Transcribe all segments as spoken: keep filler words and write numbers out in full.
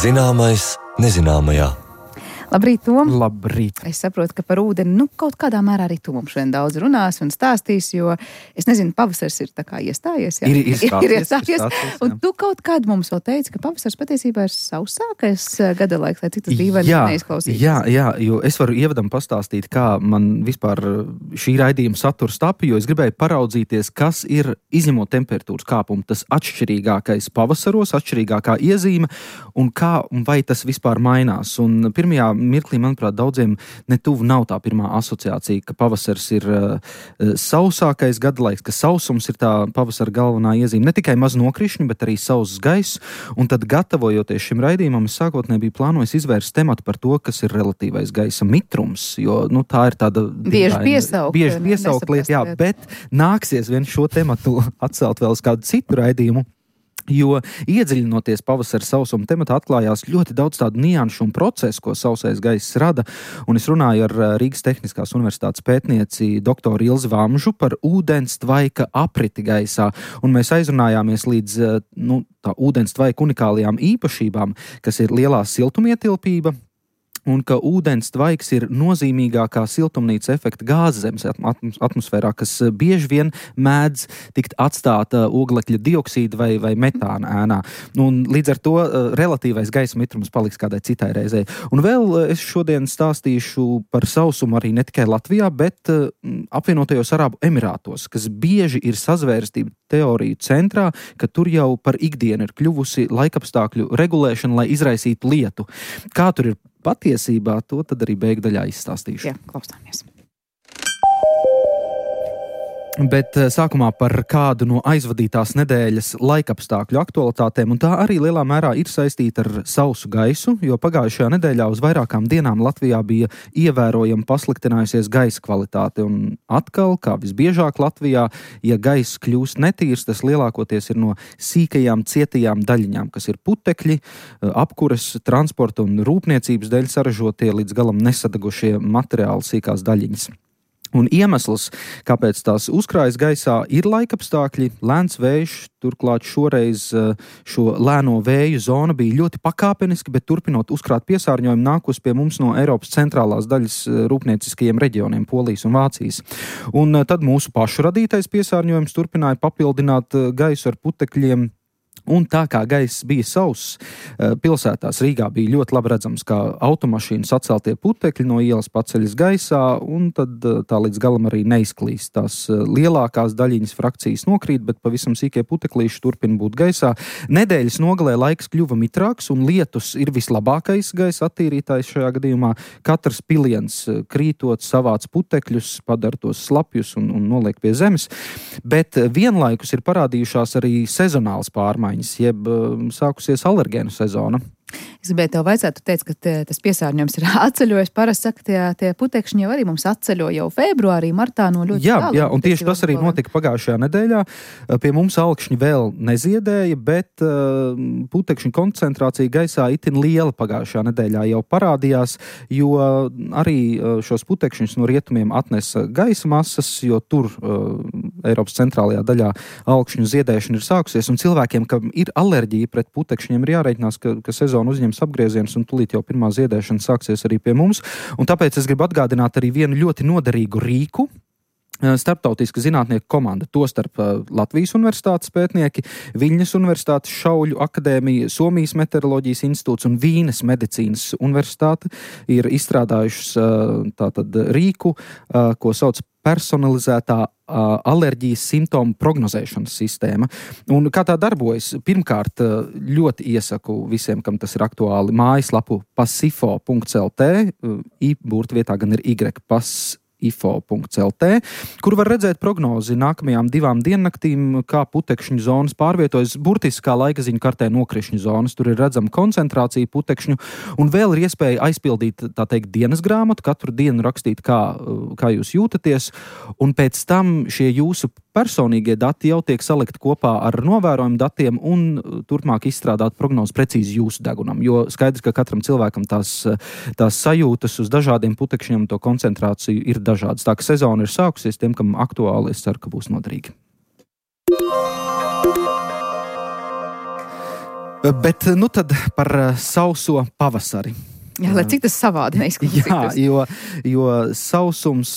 Zināmais nezināmajā. Labrīt, Tom. Labrīt. Es saprotu, ka par ūdeni, nu, kaut kādā mērā arī tu mums šodien daudz runās un stās, jo, es nezinu, pavasars ir tā kā iestājies, jā? Ir, ir stāties, ir iestājies, ir stāties, un tu kaut kādu mums vēl teici, ka pavasars patiesībā ir sausākais gada laiks, lai cik tas dīvaini neizklausītos. Jā, jā, jo es varu ievadam pastāstīt, kā man vispār šī raidījuma saturs tapa, jo es gribēju paraudzīties, kas ir izņemot temperatūras kāpumu, tas atšķirīgākais pavasaros, atšķirīgākā iezīme, un kā, un vai tas vispār mainās. Un pirmajā mirklī, manuprāt, daudziem netuvu nav tā pirmā asociācija, ka pavasars ir uh, sausākais gadalaiks, ka sausums ir tā pavasara galvenā iezīme. Ne tikai maz nokrišņi, bet arī sauss gaiss. Un tad, gatavojoties šim raidījumam, es sākotnēji biju plānojis izvērst tematu par to, kas ir relatīvais gaisa mitrums, jo nu, tā ir tāda bieži piesaukt, bieži piesaukt lieta, jā, bet nāksies vien šo tematu atcelt vēl uz kādu citu raidījumu. Jo iedziļinoties pavasara sausuma tematā atklājās ļoti daudz tādu nianšu un procesu, ko sausais gaiss rada, un es runāju ar Rīgas Tehniskās universitātes pētnieci doktoru Ilzi Vamžu par ūdens tvaika apriti gaisā, un mēs aizrunājāmies līdz nu, tā ūdens tvaika unikālajām īpašībām, kas ir lielā siltumietilpība, un ka ūdens tvaiks ir nozīmīgākā siltumnīca efekta gāze zemes atmosfērā, kas bieži vien mēdz tikt atstāta oglekļa dioksīda vai, vai metāna ēnā. Un līdz ar to relatīvais gaisa mitrums paliks kādai citai reizei. Un vēl es šodien stāstīšu par sausumu arī ne tikai Latvijā, bet apvienotajos Arābu Emirātos, kas bieži ir sazvērstību teoriju centrā, ka tur jau par ikdienu ir kļuvusi laikapstākļu regulēšana, lai izraisītu lietu. Kā tur ir patiesībā, to tad arī beigdaļā izstāstīšu. Jā, klausāmies. Bet sākumā par kādu no aizvadītās nedēļas laikapstākļu aktualitātēm, un tā arī lielā mērā ir saistīta ar sausu gaisu, jo pagājušajā nedēļā uz vairākām dienām Latvijā bija ievērojami pasliktinājusies gaisa kvalitāte, un atkal, kā visbiežāk Latvijā, ja gaiss kļūst netīrs, tas lielākoties ir no sīkajām cietajām daļiņām, kas ir putekļi, apkures, transporta un rūpniecības dēļ saražotie līdz galam nesadegušie materiāli sīkās daļiņas. Un iemesls, kāpēc tās uzkrājas gaisā, ir laikapstākļi, lēns vējš, turklāt šoreiz šo lēno vēju zona bija ļoti pakāpeniski, bet turpinot uzkrāt piesārņojumu nākus pie mums no Eiropas centrālās daļas rūpnieciskajiem reģioniem, Polijas un Vācijas. Un tad mūsu pašu radītais piesārņojums turpināja papildināt gaisu ar putekļiem. Un tā kā gaiss bija sauss, pilsētās Rīgā bija ļoti labi redzams, kā automašīnu saceltie putekļi no ielas paceļas gaisā, un tad tā līdz galam arī neizklīst. Tās lielākās daļiņas frakcijas nokrīt, bet pavisam sīkie puteklīši turpina būt gaisā. Nedēļas nogalē laiks kļuva mitrāks, un lietus ir vislabākais gaisa attīrītājs šajā gadījumā. Katrs piliens krītot savāc putekļus, padara tos slapjus un, un noliek pie zemes, bet vienlaikus ir parādījušās arī sezonāls pārmaiņas, jeb sākusies alergēnu sezona. Es gribēju tev vaicāt, tu teici, ka te, tas piesārņojums ir atceļojis. Parasti saka, tie, tie putekšņi jau arī mums atceļo jau februārī, martā no ļoti jā, tālu. Jā, un tieši tas arī notika pagājušajā nedēļā. Pie mums augšņi vēl neziedēja, bet uh, putekšņu koncentrācija gaisā itin liela pagājušajā nedēļā jau parādījās, jo arī uh, šos putekšņus no rietumiem atnesa gaisa masas, jo tur uh, Eiropas centrālajā daļā augšņu ziedēšana ir sākusies, un cilvēkiem, kam ir alerģija pret putekšņiem, ir jārēķinās, ka, ka sezona uzņems apgriezienus, un tūlīt jau pirmā ziedēšana sāksies arī pie mums. Un tāpēc es gribu atgādināt arī vienu ļoti noderīgu rīku. Starptautiska zinātnieku komanda, tostarp Latvijas universitātes pētnieki, Viļņas universitātes Šauļu akadēmija, Somijas meteoroloģijas institūts un Vīnes medicīnas universitāte ir izstrādājušas tātad rīku, ko sauc personalizētā alerģijas simptomu prognozēšanas sistēma. Un kā tā darbojas? Pirmkārt, ļoti iesaku visiem, kam tas ir aktuāli, mājaslapu pasifo punkts lt, i burtvietā gan ir y, pas ifo punkts lt, kur var redzēt prognozi nākamajām divām diennaktīm, kā putekšņu zonas pārvietojas burtiski kā laika ziņu kartē nokrišņu zonas. Tur ir redzama koncentrācija putekšņu, un vēl ir iespēja aizpildīt, tā teikt, dienas grāmatu, katru dienu rakstīt, kā, kā jūs jūtaties, un pēc tam šie jūsu personīgie dati jau tiek salikti kopā ar novērojumu datiem un turpmāk izstrādāt prognozi precīzi jūsu degunam, jo skaidrs, ka katram cilvēkam tās, tās sajūtas uz dažādiem putekšņiem to koncentrāciju ir dažādas. Tā ka sezona ir sākusies, tiem, kam aktuāli, es ceru, ka būs noderīgi. Bet nu tad par sauso pavasari. Jā, lai cik tas savādi neizklausītos. Jā, jo, jo sausums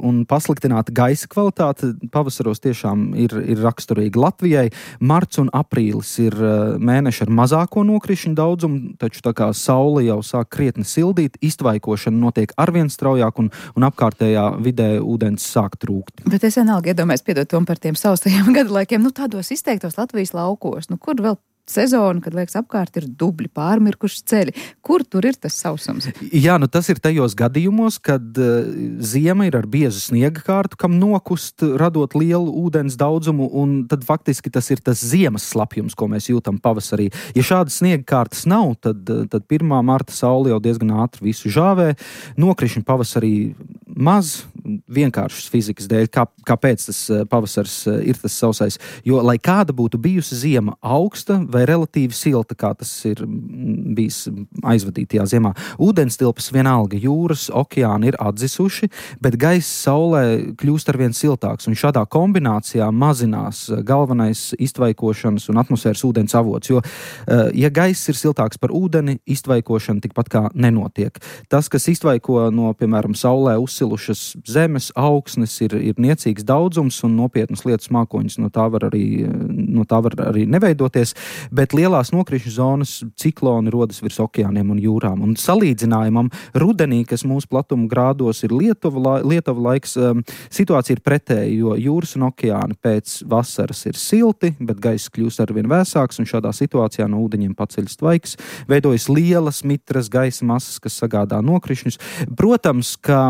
un pasliktināta gaisa kvalitāte pavasaros tiešām ir, ir raksturīgi Latvijai. Marts un aprīlis ir mēneši ar mazāko nokrišņu daudzumu, taču tā kā saule jau sāk krietni sildīt, iztvaikošana notiek arvien straujāk un, un apkārtējā vidē ūdens sāk trūkt. Bet es vienalga iedomājos, piedod Tom par tiem saustajiem gadalaikiem, nu tādos izteiktos Latvijas laukos, nu kur vēl sezonu, kad, liekas, apkārt ir dubļi, pārmirkuši ceļi. Kur tur ir tas sausums? Jā, nu tas ir tajos gadījumos, kad uh, ziema ir ar biezu sniega kārtu, kam nokust, radot lielu ūdens daudzumu, un tad faktiski tas ir tas ziemas slapjums, ko mēs jūtam pavasarī. Ja šādas sniega kārtas nav, tad, tad pirmā marta saule jau diezgan ātri visu žāvē. Nokrišņi pavasarī maz, vienkāršas fizikas dēļ, kā, kāpēc tas pavasars ir tas sausais. Jo, lai kāda būtu bijusi ziema augsta vai relatīvi silta, kā tas ir bijis aizvadītajā ziemā, ūdenstilpes vienalga, jūras, okeāni ir atzisuši, bet gaiss saulē kļūst arvien siltāks, un šādā kombinācijā mazinās galvenais iztvaikošanas un atmosfēras ūdens avots, jo, ja gaiss ir siltāks par ūdeni, iztvaikošana tikpat kā nenotiek. Tas, kas iztvaiko no, piemēram, saulē uzsilušas zemes, augsnes, ir, ir niecīgs daudzums un nopietnas lietas mākoņas no tā var arī, no tā var arī neveidoties, bet lielās nokrišņu zonas cikloni rodas virs okeāniem un jūrām. Un salīdzinājumam rudenī, kas mūsu platuma grādos ir Lietuva, Lietuva laiks, situācija ir pretēja, jo jūras un okeāni pēc vasaras ir silti, bet gaiss kļūst arvien vēsāks, un šādā situācijā no ūdeņiem paceļas tvaiks, veidojas lielas mitras gaisa masas, kas sagādā nokrišņus. Protams, ka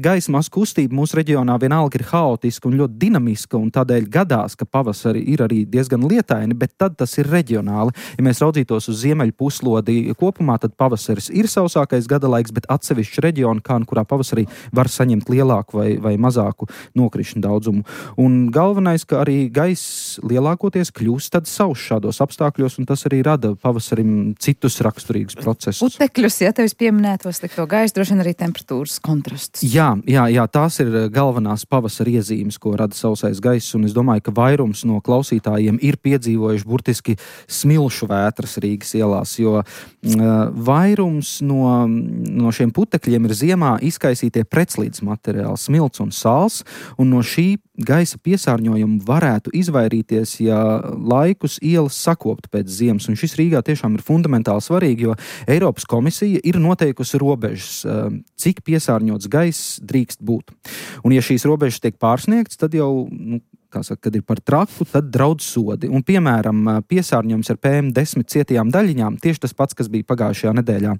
gaisa masu kustība mūsu reģionā vienalga ir haotiska un ļoti dinamiska, un tādēļ gadās, ka pavasari ir arī diezgan lietaini, bet tad tas ir reģionāli. Ja mēs raudzītos uz ziemeļu puslodi kopumā, tad pavasaris ir sausākais gadalaiks, bet atsevišķi reģioni, kā kurā pavasarī var saņemt lielāku vai, vai mazāku nokrišņu daudzumu. Un galvenais, ka arī gaiss lielākoties kļūst tad sauss šādos apstākļos, un tas arī rada pavasarim citus raksturīgus procesus. Putekļus, ja tevis pieminētos slikto gaisu, droši vien arī temperatūras kontrasts. Jā, jā, jā, tās ir galvenās pavasara iezīmes, ko rada sausais gaiss, un es domāju, ka vairums no klausītājiem ir piedzīvojuši burtiski smilšu vētras Rīgas ielās, jo uh, vairums no, no šiem putekļiem ir ziemā izkaisītie pretslīdes materiāli, smilts un sāls, un no šī gaisa piesārņojuma varētu izvairīties, ja laikus ielas sakoptu pēc ziemas, un šis Rīgā tiešām ir fundamentāli svarīgi, jo Eiropas komisija ir noteikusi robežas, uh, cik piesārņots gaiss drīkst būt. Un ja šīs robežas tiek pārsniegts, tad jau, nu, kā saka, kad ir par traku, tad draudz sodi. Un, piemēram, piesārņojums ar P M desmit cietajām daļiņām, tieši tas pats, kas bija pagājušajā nedēļā,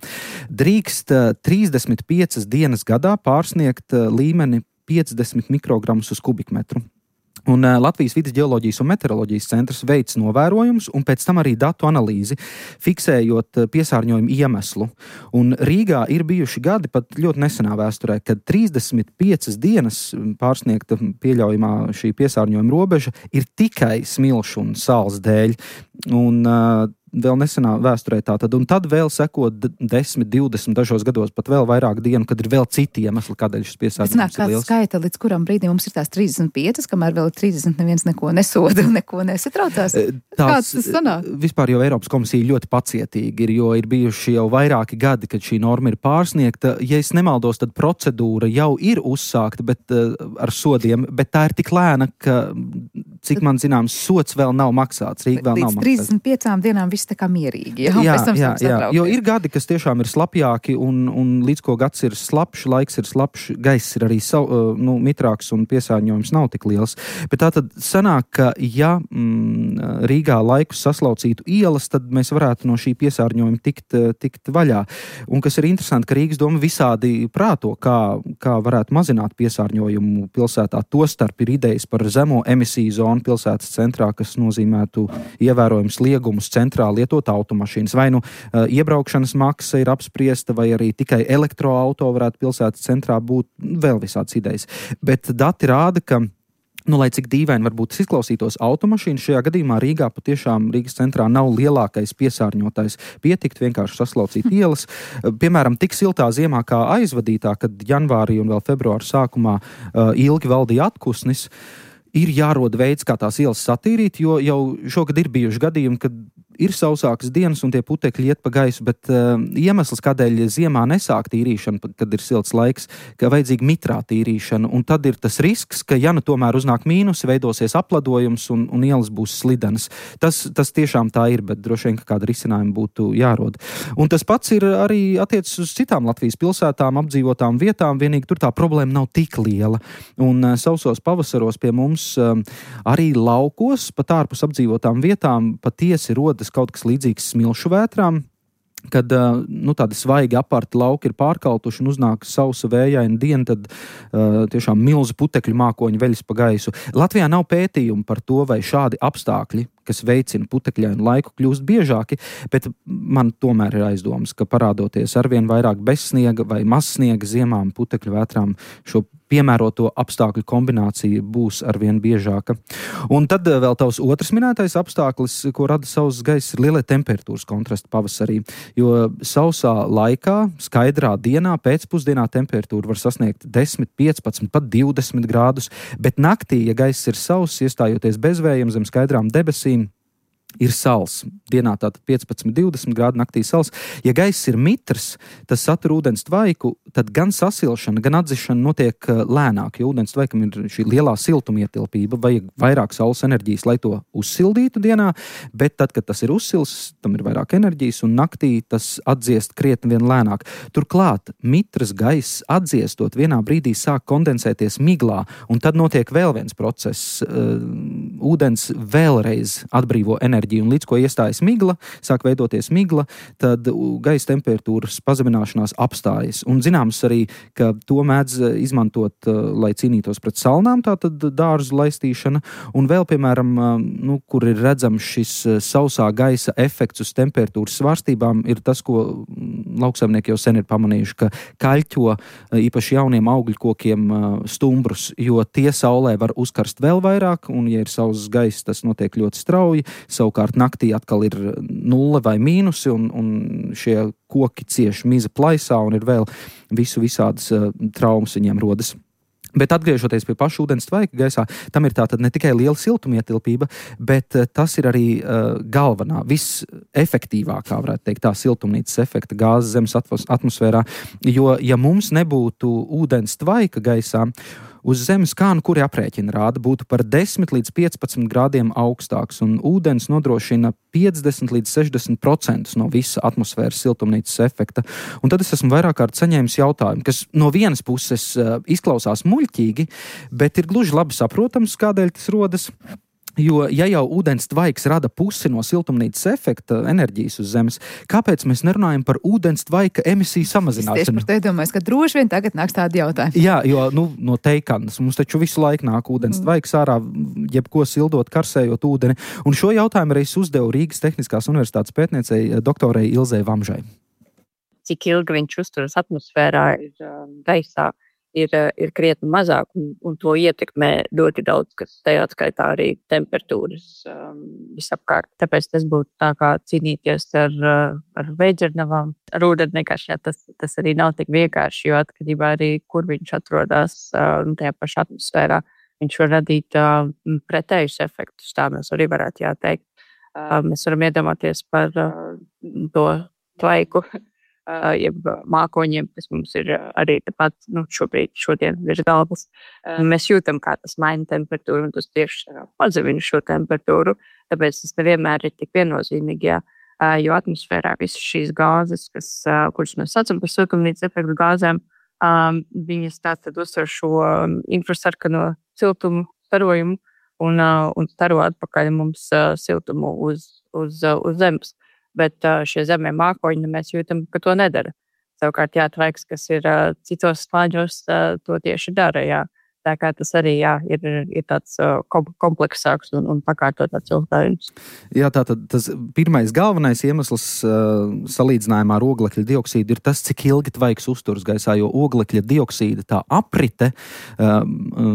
drīkst trīsdesmit piecas dienas gadā pārsniegt līmeni piecdesmit mikrogramus uz kubikmetru. Un uh, Latvijas vides ģeoloģijas un meteoroloģijas centrs veic novērojumus un pēc tam arī datu analīzi, fiksējot uh, piesārņojumu iemeslu. Un Rīgā ir bijuši gadi pat ļoti nesenā vēsturē, kad trīsdesmit piecas dienas pārsniegta pieļaujamā šī piesārņojuma robeža ir tikai smilšu un sāls dēļ. Un uh, vēl nesenā vēsturē tātad, un tad vēl sekot desmit, divdesmit dažos gados, pat vēl vairāk dienu, kad ir vēl citi iemesli, kādēļ šis piesārņojums ir liels. Skaita, līdz kuram brīdim mums ir tās trīsdesmit piecas, kamēr vēl trīsdesmit neviens neko nesoda un neko nesatraucās? Kāds tas sanāk? Vispār jau Eiropas komisija ļoti pacietīgi ir, jo ir bijuši jau vairāki gadi, kad šī norma ir pārsniegta. Ja es nemaldos, tad procedūra jau ir uzsākta, bet uh, ar sodiem, bet tā ir tik lēna, ka, cik man zināms, sots vēl nav maksāts. Rīga vēl nav maksāts. Līdz trīsdesmit piecām dienām viss tā kā mierīgi. Jā, jā, jā, jā, jo ir gadi, kas tiešām ir slapjāki, un, un līdz ko gads ir slapš, laiks ir slapš, gaiss ir arī sav, nu, mitrāks un piesārņojums nav tik liels. Bet tā tad sanāk, ka ja mm, Rīgā laikus saslaucītu ielas, tad mēs varētu no šī piesārņojuma tikt, tikt vaļā. Un kas ir interesanti, ka Rīgas doma visādi prāto, kā, kā varētu mazināt piesārņojumu pilsētā. Tostarp ir idejas par zemo emisiju zonu pilsētas centrā, kas nozīmētu ievērojums liegumus centrā lietot automašīnas. Vai nu uh, iebraukšanas maksa ir apspriesta, vai arī tikai elektroauto varētu pilsētas centrā būt, vēl visāds idejas. Bet dati rāda, ka nu, lai cik dīvaini varbūt izklausītos automašīnas, šajā gadījumā Rīgā patiešām Rīgas centrā nav lielākais piesārņotājs. Pietikt vienkārši saslaucīt ielas. Piemēram, tik siltā ziemā kā aizvadītā, kad janvārī un vēl februāra sākumā uh, ilgi valdīja atkusnis, ir jārod veids, kā tās ielas satīrīt, jo jau šogad ir bijuši gadījumi, kad ir sausākas dienas un tie putekļi iet pa gaisu, bet uh, iemesls, kādēļ ziemā nesāk tīrīšana, kad ir silts laiks, ka vajadzīga mitrā tīrīšana, un tad ir tas risks, ka ja nu tomēr uznāk mīnusi, veidosies apladojums un, un ielas būs slidenas. Tas, tas tiešām tā ir, bet droši vien, ka kāda risinājuma būtu jārod. Un tas pats ir arī attiecas uz citām Latvijas pilsētām, apdzīvotām vietām, vienīgi tur tā problēma nav tik liela. Un uh, sausos pavasaros pie mums uh, arī laukos, pat ārpus apdzīvotām vietām, patiesi rodas kaut kas līdzīgs smilšu vētrām, kad nu, tādi svaigi aparti lauki ir pārkaltuši un uznāk sausa vējaina diena, tad uh, tiešām milzu putekļu mākoņi veļas pa gaisu. Latvijā nav pētījumu par to, vai šādi apstākļi, kas veicina putekļainu laiku, kļūst biežāki, bet man tomēr ir aizdomas, ka parādoties arvien vairāk bezsniega vai mazsniega ziemām putekļu vētrām šo piemēroto apstākļu kombinācija būs arvien biežāka. Un tad vēl tavs otrs minētais apstākļis, ko rada sauss gaiss, ir lielie temperatūras kontrasti pavasarī, jo sausā laikā, skaidrā dienā, pēcpusdienā temperatūra var sasniegt desmit, piecpadsmit, pat divdesmit grādus, bet naktī, ja gaiss ir sauss, iestājoties bezvējiem zem skaidrām debesīm, ir sals. Dienā tātad piecpadsmit, divdesmit grādi, naktī sals. Ja gaiss ir mitrs, tas satur ūdens tvaiku, tad gan sasilšana, gan atdzišana notiek lēnāk, jo ūdens tvaikam ir šī lielā siltumietilpība, vajag vairāk saules enerģijas, lai to uzsildītu dienā, bet tad, kad tas ir uzsils, tam ir vairāk enerģijas, un naktī tas atdziest krietni vien lēnāk. Turklāt mitrs gaiss atdziestot vienā brīdī sāk kondensēties miglā, un tad notiek vēl viens process. Ūdens vēlreiz atbrīvo enerģiju. Un līdz ko iestājas migla, sāk veidoties migla, tad gaisa temperatūras pazemināšanās apstājas. Un zināms arī, ka to mēdz izmantot, lai cīnītos pret salnām, tātad dārzu laistīšana. Un vēl, piemēram, nu, kur ir redzams šis sausā gaisa efekts uz temperatūras svārstībām, ir tas, ko lauksaimnieki jau sen ir pamanījuši, ka kaļķo īpaši jauniem augļkokiem stumbrus, jo tie saulē var uzkarst vēl vairāk, un ja ir sauss gaiss, tas notiek ļoti strauji. Savukārt naktī atkal ir nulle vai mīnusi, un, un šie koki cieši miza plaisā, un ir vēl visu visādas uh, traumas viņiem rodas. Bet atgriežoties pie paša ūdens tvaika gaisā, tam ir tātad ne tikai liela siltumietilpība, bet uh, tas ir arī uh, galvenā, visefektīvākā, varētu teikt, tā siltumnīcas efekta gāzes zemes atmosfērā, jo ja mums nebūtu ūdens tvaika gaisā, uz zemes kā nu kuri aprēķina rāda būtu par desmit līdz piecpadsmit grādiem augstāks, un ūdens nodrošina piecdesmit līdz sešdesmit procenti no visa atmosfēras siltumnīcas efekta. Un tad es esmu vairāk kārt saņēmis jautājumu, kas no vienas puses uh, izklausās muļķīgi, bet ir gluži labi saprotams, kādēļ tas rodas. Jo, ja jau ūdens tvaiks rada pusi no siltumnīcas efekta enerģijas uz zemes, kāpēc mēs nerunājam par ūdens tvaika emisiju samazināšanu? Es tieši par te domāju, ka droši vien tagad nāks tādi jautājumi. Jā, jo nu, no teikanas mums taču visu laiku nāk ūdens tvaiks ārā, jebko sildot, karsējot ūdeni. Un šo jautājumu arī es uzdevu Rīgas Tehniskās universitātes pētniecei doktorei Ilzei Vamžai. Cik ilgi viņš uzturas atmosfērā ir um, gaisā? Ir, ir krietni mazāk, un, un to ietekmē ļoti daudz, kas tajā skaitā arī temperatūras um, visapkārt. Tāpēc tas būtu tā kā cīnīties ar, ar veidzernavām, ar ūdenekašņā. Tas, tas arī nav tik vienkārši, jo atkarībā arī, kur viņš atrodas uh, tajā pašā atmosfērā, viņš var radīt uh, pretējus efektus. Tā mēs arī varētu jāteikt. Uh, mēs varam iedomāties par uh, to tvaiku, Uh, jeb mākoņiem, kas mums ir uh, arī tāpat, nu, šobrīd, šodien virs galvas. Uh, mēs jūtam, kā tas maina temperatūru, un tas tieši uh, pazemina šo temperatūru, tāpēc tas nevienmēr ir tik viennozīmīgi, jā, uh, jo atmosfērā visas šīs gāzes, kas, uh, kuras mēs saucam par siltumnīcas efektu gāzēm, um, viņas tātad uzsver šo um, infrasarkano siltumu starojumu un, uh, un staro atpakaļ mums uh, siltumu uz, uz, uh, uz zemes. Bet uh, šie zemē mākoņi, mēs jūtam, ka to nedara. Savukārt, jā, tvaiks, kas ir uh, citos slāņos, uh, to tieši dara, jā. Tā kā tas arī, jā, ir, ir tāds uh, kompleksāks un, un pakārtotāks jautājums. Jā, tātad tas pirmais galvenais iemesls uh, salīdzinājumā ar oglekļa dioksīdu ir tas, cik ilgi tvaiks uzturas gaisā, jo oglekļa dioksīda tā aprite, uh,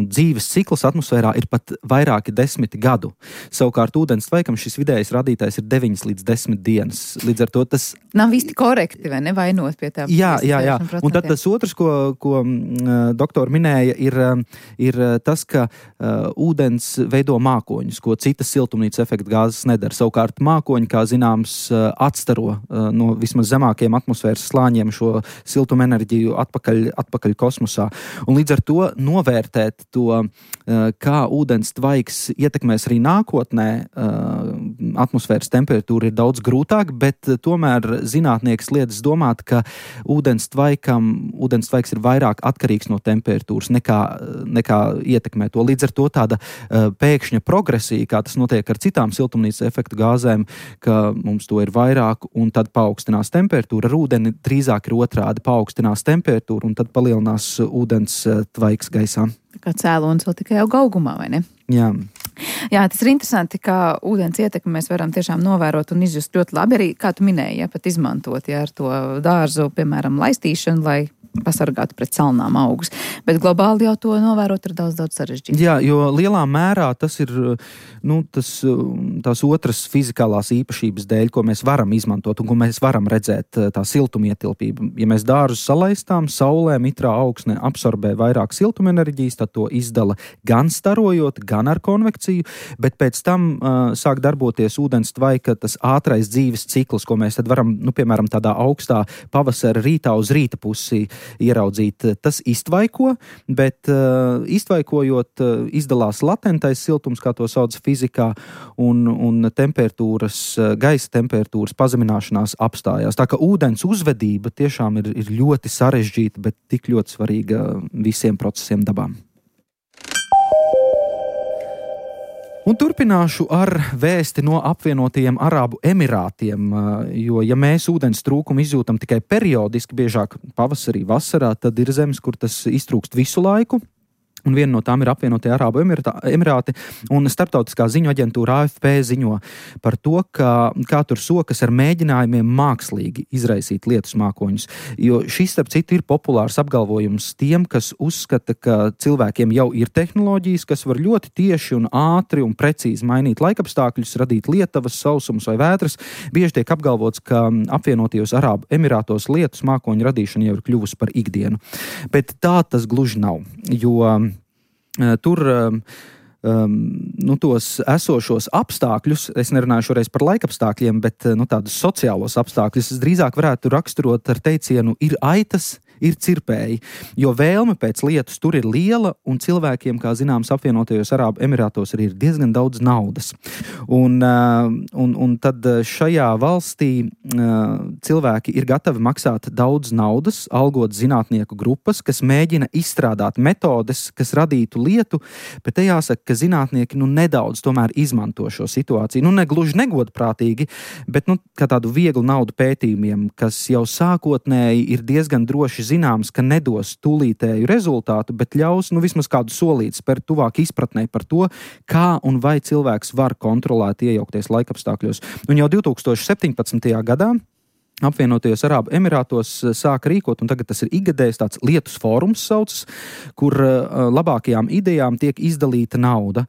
dzīves cikls atmosfērā ir pat vairāki desmiti gadu. Savukārt ūdens tvaikam šis vidējais radītājs ir deviņas līdz desmit dienas. Līdz ar to tas... Nav īsti korekti, vai nevainot pie tā? Jā, jā, jā. Un tad tas otrs, ko, ko uh, doktori minēja, ir... Uh, ir tas, ka uh, ūdens veido mākoņus, ko citas siltumnīca efekta gāzes nedara. Savukārt mākoņi, kā zināms, atstaro uh, no vismaz zemākiem atmosfēras slāņiem šo siltuma enerģiju atpakaļ, atpakaļ kosmosā. Un līdz ar to novērtēt to, uh, kā ūdens tvaiks ietekmēs arī nākotnē, uh, atmosfēras temperatūra ir daudz grūtāk, bet uh, tomēr zinātnieks lietas domāt, ka ūdens tvaikam, ūdens tvaiks ir vairāk atkarīgs no temperatūras nekā, nekā ietekmē to. Līdz ar to tāda uh, pēkšņa progresija, kā tas notiek ar citām siltumnīca efekta gāzēm, ka mums to ir vairāk un tad paaugstinās temperatūra. Ar ūdeni drīzāk ir otrādi, paaugstinās temperatūra un tad palielinās ūdens uh, tvaiks gaisā. Kā cēlonis vēl tikai auga augumā, vai ne? Jā. Jā, tas ir interesanti, kā ūdens ietekmi mēs varam tiešām novērot un izjust ļoti labi. Arī, kā tu minēji, ja, pat izmantot, ja, ar to dārzu, piemēram, laistīšanu, lai pasargātu pret salnām augus. Bet globāli jau to novērot ir daudz, daudz sarežģītāk. Jā, jo lielā mērā tas ir, nu, tas, tās otras fizikālās īpašības dēļ, ko mēs varam izmantot un ko mēs varam redzēt, tā siltumietilpība. Ja mēs dārzus salaistām, saulē mitrā augsne absorbē vairāk siltumenerģijas, tad to izdala gan starojot, gan ar konvekciju, bet pēc tam uh, sāk darboties ūdens tvaika tas ātrais dzīves cikls, ko mēs tad varam, nu, piemēram, tādā augstā pavasara rītā uz rīta pusi ieraudzīt. Tas iztvaiko, bet uh, iztvaikojot uh, izdalās latentais siltums, kā to sauc fizikā, un, un temperatūras, uh, gaisa temperatūras pazemināšanās apstājās. Tā ka ūdens uzvedība tiešām ir, ir ļoti sarežģīta, bet tik ļoti svarīga visiem procesiem dabām. Un turpināšu ar vēsti no apvienotajiem Arābu Emirātiem, jo, ja mēs ūdens trūkumu izjūtam tikai periodiski, biežāk pavasarī, vasarā, tad ir zemes, kur tas iztrūkst visu laiku. Un viena no tām ir apvienotie Arābu Emirāti, un starptautiskā ziņu aģentūra A F P ziņo par to, ka, kā tur sokas ar mēģinājumiem mākslīgi izraisīt lietus mākoņus. Jo šis, starp citu, ir populārs apgalvojums tiem, kas uzskata, ka cilvēkiem jau ir tehnoloģijas, kas var ļoti tieši un ātri un precīzi mainīt laikapstākļus, radīt lietavas, sausums vai vētras. Bieži tiek apgalvots, ka apvienotajos Arābu Emirātos lietus mākoņu radīšana jau ir kļuvusi par ikdienu. Bet tā tas gluži nav, jo tur um, um, nu, tos esošos apstākļus, es nerunāju šoreiz par laikapstākļiem, bet nu, tādus sociālos apstākļus, es drīzāk varētu raksturot ar teicienu ir aitas, ir cirpēji, jo vēlme pēc lietus tur ir liela un cilvēkiem, kā zināms, apvienotajos Arābu Emirātos arī ir diezgan daudz naudas. Un, un, un tad šajā valstī cilvēki ir gatavi maksāt daudz naudas, algot zinātnieku grupas, kas mēģina izstrādāt metodes, kas radītu lietu, bet te jāsaka, ka zinātnieki nu, nedaudz tomēr izmanto šo situāciju. Nu, ne gluži negodprātīgi, bet nu, kā tādu vieglu naudu pētījumiem, kas jau sākotnēji ir diezgan droši zināms, ka nedos tūlītēju rezultātu, bet ļaus nu, vismaz kādu solīti spērt tuvāk izpratnē par to, kā un vai cilvēks var kontrolēt iejaukties laikapstākļos. Un jau divtūkstoš septiņpadsmitajā gadā apvienotajos Arābu Emirātos sāka rīkot, un tagad tas ir ikgadējs tāds lietus fórums saucas, kur uh, labākajām idejām tiek izdalīta nauda.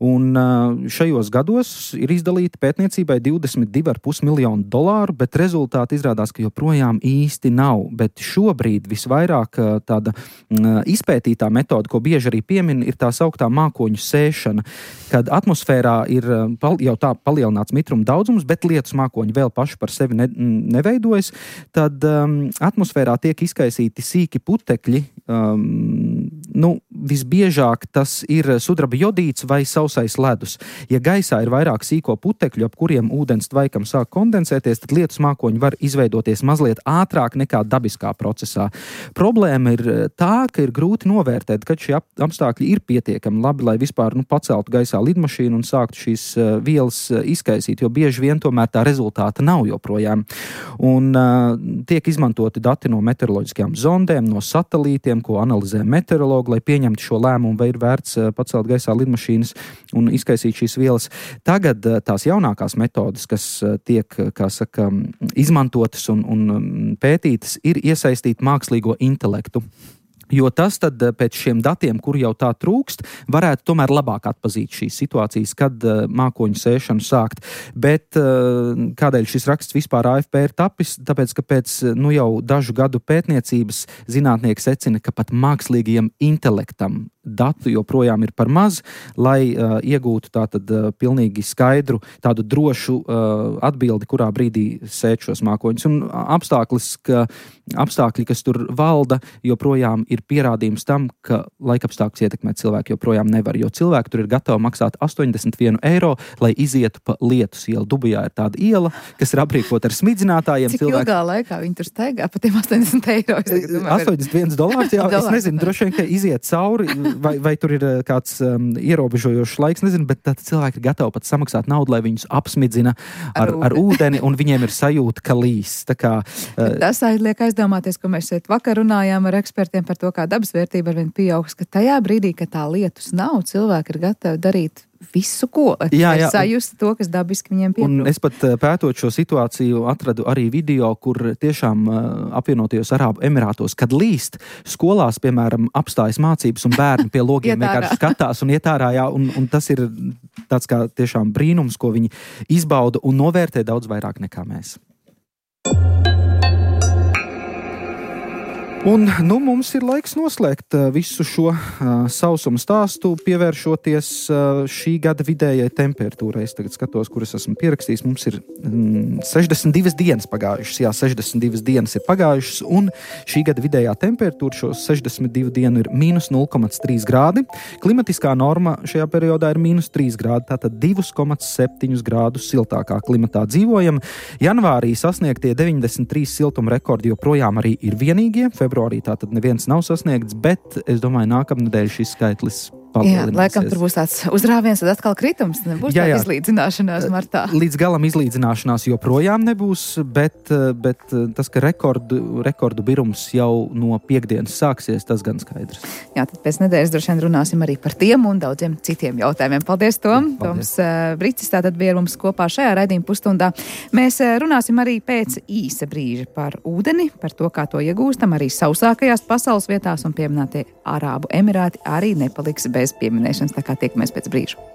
Un uh, šajos gados ir izdalīta pētniecībai divdesmit divi ar pus miljonu dolāru, bet rezultāti izrādās, ka joprojām īsti nav. Bet šobrīd visvairāk uh, tāda uh, izpētītā metode, ko bieži arī piemin, ir tā sauktā mākoņu sēšana, kad atmosfērā ir uh, pal- jau tā palielināts mitruma daudzums, bet lietus mākoņi vēl paši par sevi ne- neveido. Tad um, atmosfērā tiek izkaisīti sīki putekļi. Um, nu, visbiežāk tas ir sudraba jodīts vai sausais ledus. Ja gaisā ir vairāk sīko putekļu, ap kuriem ūdens tvaikam sāk kondensēties, tad lietus mākoņi var izveidoties mazliet ātrāk nekā dabiskā procesā. Problēma ir tā, ka ir grūti novērtēt, kad šie apstākļi ir pietiekami labi, lai vispār nu, paceltu gaisā lidmašīnu un sāktu šīs uh, vielas uh, izkaisīt, jo bieži vien tomēr tā rezultāta nav joprojām. Un uh, tiek izmantoti dati no meteoroloģiskajām zondēm, no satelītiem, ko analizē meteorologi, lai pieņemtu šo lēmumu, vai ir vērts uh, pacelt gaisā lidmašīnas un izkaisīt šīs vielas. Tagad uh, tās jaunākās metodes, kas uh, tiek, kā saka, izmantotas un, un pētītas, ir iesaistīt mākslīgo intelektu. Jo tas tad pēc šiem datiem, kur jau tā trūkst, varētu tomēr labāk atpazīt šīs situācijas, kad uh, mākoņu sēšanu sākt. Bet uh, kādēļ šis raksts vispār A F P ir tapis? Tāpēc, ka pēc nu, jau dažu gadu pētniecības zinātnieki secina, ka pat mākslīgajam intelektam datu joprojām ir par maz, lai uh, iegūtu tātad uh, pilnīgi skaidru, tādu drošu uh, atbildi, kurā brīdī sēt šos mākoņus. Un apstākļus, ka, apstākļi, kas tur valda, joprojām ir pierādījums tam, ka laikapstākļus ietekmēt cilvēki joprojām nevar, jo cilvēki tur ir gatavi maksāt astoņdesmit vienu eiro, lai izietu pa Lietus ielu. Dubajā ir tāda iela, kas ir aprīkota ar smidzinātājiem. Cik cilvēki... ilgā laikā viņi tur steigā pa tiem astoņdesmit eiro? astoņdesmit viens dolārs, jā, es nezinu, droši vien, ka iziet cauri, vai, vai tur ir kāds um, ierobežojošs laiks, nezinu, bet tad cilvēki ir gatavi pat samaksāt naudu, lai viņus apsmidzina ar, ar, ar ūdeni, un viņiem ir sajūta, ka līs. Tā kā, uh, tas liek aizdomāties, ko mēs šeit vakar runājām ar ekspertiem par to, kā dabas vērtība arvien pieaugs, ka tajā brīdī, kad tā lietus nav, cilvēki ir gatavi darīt visu, ko, jā, jā. sajust to, kas dabiski viņiem pietrūk. Un es pat pētot šo situāciju atradu arī video, kur tiešām apvienotajos Arābu Emirātos, kad līst skolās, piemēram, apstājas mācības un bērni pie logiem vienkārši skatās un iet ārā, jā, un, un tas ir tāds kā tiešām brīnums, ko viņi izbauda un novērtē daudz vairāk nekā mēs. Un, nu, mums ir laiks noslēgt uh, visu šo uh, sausumu stāstu, pievēršoties uh, šī gada vidējai temperatūrai. Es tagad skatos, kuras esmu pierakstījis. Mums ir mm, sešdesmit divas dienas pagājušas. Jā, sešdesmit divas dienas ir pagājušas, un šī gada vidējā temperatūra šos sešdesmit divu dienu ir mīnus nulle komats trīs grādi. Klimatiskā norma šajā periodā ir mīnus trīs grādi, tātad divi komats septiņi grādus siltākā klimatā dzīvojam. Janvārī sasniegtie deviņdesmit trīs siltuma rekordi joprojām arī ir vienīgie. Februārī tātad neviens nav sasniegts, bet es domāju, nākamnedēļ šis skaitlis Jā, laikam tur būs tāds uzrāviens, tad atkal kritums, nebūs jā, jā. tāda izlīdzināšanās martā. Līdz galam izlīdzināšanās joprojām nebūs, bet, bet tas, ka rekordu, rekordu birums jau no piekdienas sāksies, tas gan skaidrs. Jā, tad pēc nedēļas droši vien runāsim arī par tiem un daudziem citiem jautājumiem. Paldies, Tom! Paldies. Toms uh, Bricis tātad bija ar mums kopā šajā raidījuma pusstundā. Mēs uh, runāsim arī pēc īsa brīža par ūdeni, par to, kā to iegūstam arī sausākajās pasaules vietās, un pieminētie Arābu Emirāti arī nepaliks bez pieminēšanas, tā kā tiekamies pēc brīža.